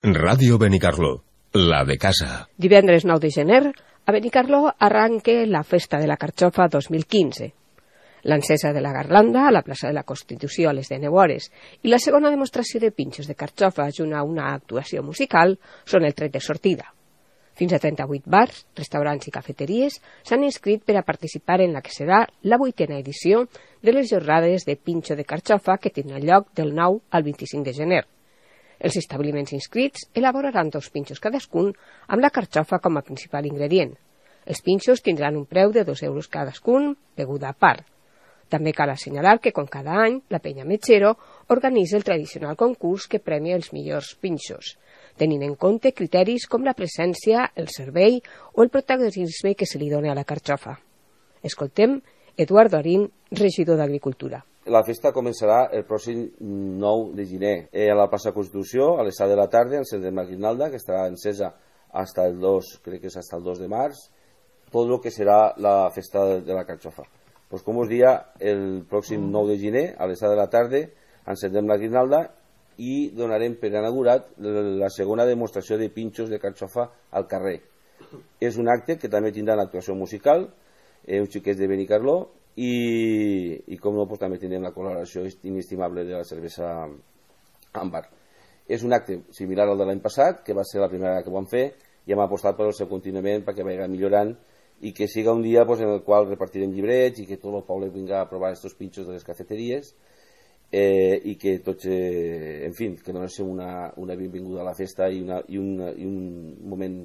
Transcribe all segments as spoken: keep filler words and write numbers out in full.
Ràdio Benicarló, la de casa. Divendres nou de gener, a Benicarló arranque la Festa de la Carxofa dos mil quinze. L'encesa de la garlanda a la plaça de la Constitució a les deu hores i la segona demostració de pinxos de carxofa junt a una actuació musical són el tret de sortida. Fins a trenta-vuit bars, restaurants i cafeteries s'han inscrit per a participar en la que serà la vuitena edició de les jornades de pinxo de carxofa que tindran lloc del nou al vint-i-cinc de gener. Els establiments inscrits elaboraran dos pinxos cadascun amb la carxofa com a principal ingredient. Els pinxos tindran un preu de dos euros cadascun, beguda a part. També cal assenyalar que, com cada any, la Penya Mechero organitza el tradicional concurs que premia els millors pinxos, tenint en compte criteris com la presència, el servei o el protagonisme que se li dona a la carxofa. Escoltem Eduardo Arín, regidor d'Agricultura. La festa començarà el pròxim nou de gener eh, a la plaça Constitució, a les set de la tarda, encendrem la guirnalda, que estarà encesa hasta el dos, crec que és hasta el dos de març, tot el que serà la festa de la carxofa. Pues com us dia, el pròxim nou de gener, a les set de la tarda, encendrem la guirnalda i donarem per inaugurat la segona demostració de pinxos de carxofa al carrer. És un acte que també tindrà una actuació musical, eh, uns xiquets de Benicarló, i, i com no, pues, també tindrem la col·laboració inestimable de la cervesa Àmbar. És un acte similar al de l'any passat, que va ser la primera que vam fer, i hem apostat per el seu continuament perquè vagi millorant i que siga un dia pues, en el qual repartirem llibrets i que tot el poble vinga a provar aquests pinxos de les cafeteries eh, i que tots, eh, en fi, que donem una, una benvinguda a la festa i, una, i, una, i un moment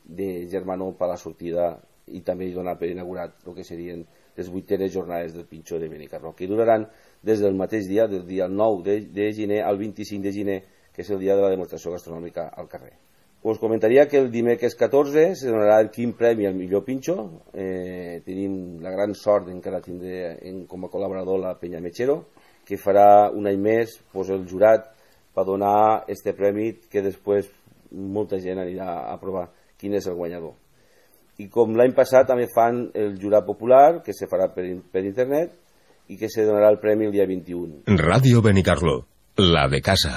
de germanor per a la sortida i també donar per inaugurat el que serien les vuitenes jornades del pinxo de Benicarló, que duraran des del mateix dia, del dia nou de, de gener al vint-i-cinc de gener, que és el dia de la demostració gastronòmica al carrer. Us comentaria que el dimecres catorze se donarà el quinze premi al millor pinxo. Eh, tenim la gran sort d'encara tindre en, com a col·laborador la Penya Mechero, que farà un any més pues, el jurat per donar este premi que després molta gent anirà a provar quin és el guanyador. I com l'any passat també fan el jurat popular, que se farà per, per internet i que se donarà el premi el dia vint-i-u. Ràdio Benicarló, la de casa.